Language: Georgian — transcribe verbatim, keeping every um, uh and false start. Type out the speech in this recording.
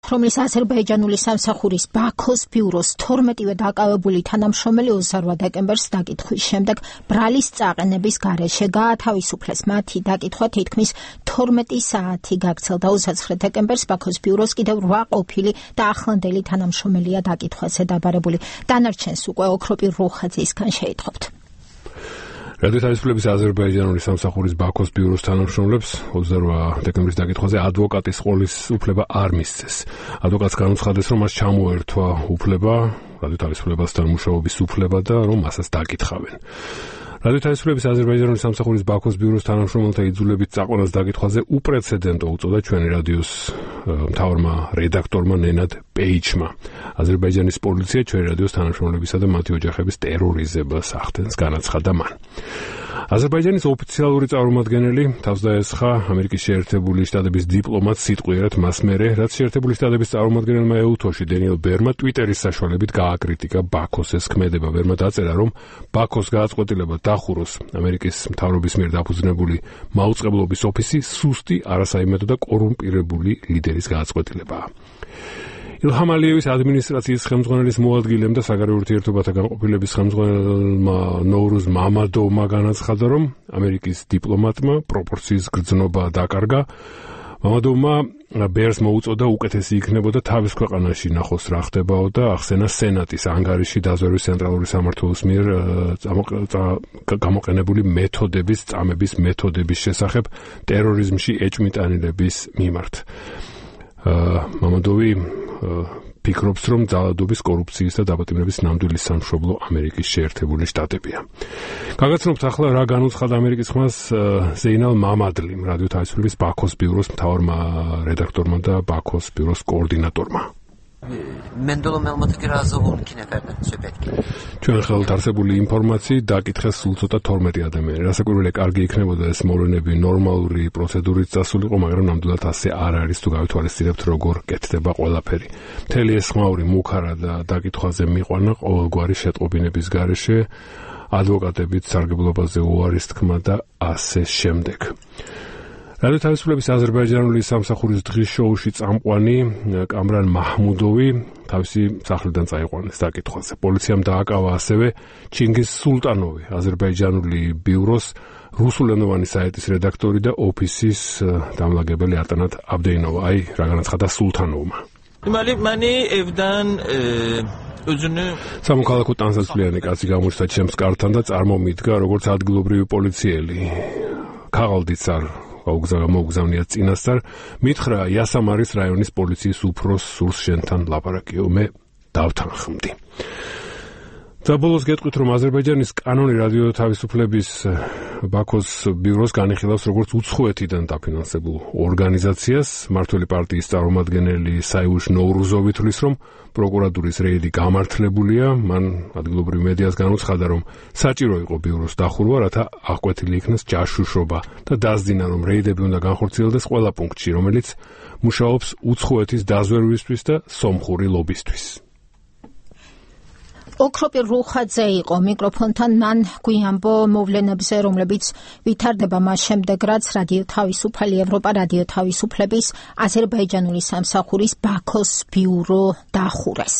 რომლის აზერბაიჯანული სამსახურის ბაქოს ბიუროს თორმეტივე დაკავებული თანამშრომელი ოცდაორვა დეკემბერს დაკითხვის შემდეგ ბრალის წაყენების გარეშე გაათავისუფლეს. მათი დაკითხვა თითქმის თორმეტი საათი გაგრძელდა. ოცდაცხრე დეკემბერს ბაქოს ბიუროს კიდევ რვა ყოფილი და ახლანდელი თანამშრომელია დაკითხვაზე დაბარებული. დანარჩენს უკვე ოქროპირ რუხაძისგან შეითხოვთ. რადიო თავისუფლების აზერბაიჯანული სამსახურის ბაქოს ბიუროს თანამშრომლებს ოცდაორვა დეკემბრის დაკითხვაზე ადვოკატის ყოლის უფლება არ მისცეს. ადვოკატს განუცხადეს, რომ მას ჩამოერთვა უფლება, რადიო თავისუფლებასთან მუშაობის უფლება და რომ მასაც დაკითხავენ. რადიო თავისუფლების აზერბაიჯანული სამსახურის ბაქოს ბიუროს თანამშრომელთა იძულებით წაყვანას დაკითხვაზე უპრეცედენტო უწოდა ჩვენი რადიოს მთავარმა რედაქტორმა ნენად პეიჩმა. აზერბაიჯანის პოლიცია ჩვენი რადიოს თანამშრომლებისა და მათი ოჯახების ტერორიზებას ახდენს, განაცხადა მან. აზერბაიჯანის ოფიციალური წარმომადგენელი თავს დაესხა ამერიკის შეერთებული შტატების დიპლომატ სიტყვიერად მას მერე, რაც შეერთებული შტატების წარმომადგენელმა ეუთოში დენიელ ბერმა ტვიტერის საშუალებით გააკრიტიკა ბაქოს ეს ქმედება. ბერმა დაწერა, რომ ბაქოს გააწყვეტილება დახუროს ამერიკის მთავრობის მიერ დაფუძნებული მაუწყებლობის ოფისი სუსტი, არასაიმედო და კორუმპირებული ლიდერის გააწყვეტილებაა. ილჰამ ალიევის ადმინისტრაციის ხელმძღვანელის მოადგილემ და საგარეო ურთიერთობათა განყოფილების ხელმძღვანელმა ნოვრუზ მამადოვმა განაცხადა, რომ ამერიკის დიპლომატმა პროპორციის გრძნობა დაკარგა. მამადოვმა ბერს მოუწოდა უკეთესი იქნებოდა თავის ქვეყანაში ნახოს რა ხდებაო და ახსენა სენატის ანგარიში დაზვერვის ცენტრალური სამმართველოს მიერ გამოყენებული მეთოდების, წამების მეთოდების შესახებ ტერორიზმში ეჭვმიტანილების მიმართ. მამადოვი ფიქრობს, რომ ძალადობის, კორუფციის და დაპატიმრების ნამდვილი სამშობლო ამერიკის შეერთებული შტატებია. გაგაცნობთ ახლა რა განუცხადა ამერიკის ხმას ზეინალ მამადლიმ, რადიო თავისუფლების ბაქოს ბიუროს მთავარმა რედაქტორმა და ბაქოს ბიუროს კოორდინატორმა. მენდოლო მელმოთკი რაზოვულ კინეფერდა სუპეტკი. ჩვენ ხელთ არსებული ინფორმაციით დაკითხეს სულ ცოტა თორმეტი ადამიანი. რასაკვირველია, კარგი იქნებოდა ეს მოვლენები ნორმალური პროცედურით წასულიყო, მაგრამ ნამდვილად ასე არ არის თუ გავითვალისწინებთ როგორ კეთდება ყველაფერი. მთელი ეს ხმაური მუქარა და დაკითხვაზე მიყვანა ყოველგვარი შეტყობინების გარეშე, ადვოკატებით სარგებლობაზე უარის თქმა და ასე შემდეგ. რადიო თავისუფლების აზერბაიჯანული სამსახურის დღის შოუში წამყვანი კამრან მაჰმუდოვი თავისი სახლიდან წაიყვანეს დაკითხვაზე. პოლიციამ დააკავა ასევე ჩინგიზ სულტანოვი, აზერბაიჯანული ბიუროს რუსულენოვანი საიტის რედაქტორი და ოფისის დამლაგებელი არტანათ აბდეინოვა. აი, რა განაცხადა სულთანოვმა. მალი მანი ევდან სამოქალაქო ტანსაცვლიანი კაცი გამოჩნდა ჩემს კართან და წარმომიდგა როგორც ადგილობრივი პოლიციელი. ქაღალდიცარ გაუგზავნია წინასწარ, მითხრა იასამარის რაიონის პოლიციის უფროს სურს შენთან ლაპარაკიო, მე დავთანხმდი. საბოლოოს გეტყვით, რომ აზერბაიჯანის კანონი რადიო თავისუფლების ბაქოს ბიუროს განიხილავს როგორც უცხოეთიდან დაფინანსებულ ორგანიზაციას. მმართველი პარტიის წარმომადგენელი საიუშ ნოვრუზოვი თვლის, რომ პროკურატურის რეიდი გამართლებულია. მან ადგილობრივ მედიას განუცხადა, რომ საჭირო იყო ბიუროს დახურვა, რათა აღკვეთილი იქნას ჯაშუშობა და დასძინა, რომ რეიდები უნდა განხორციელდეს ყველა პუნქტში, რომელიც მუშაობს უცხოეთის დაზვერვისთვის და სომხური ლობისთვის. ოქროპირ რუხაძე იყო მიკროფონთან, მან გვიამბო მოვლენებზე, რომლებიც ვითარდება მას შემდეგ, რაც რადიო თავისუფალი ევროპა რადიო თავისუფლების აზერბაიჯანული სამსახურის ბაქოს ბიურო დახურეს.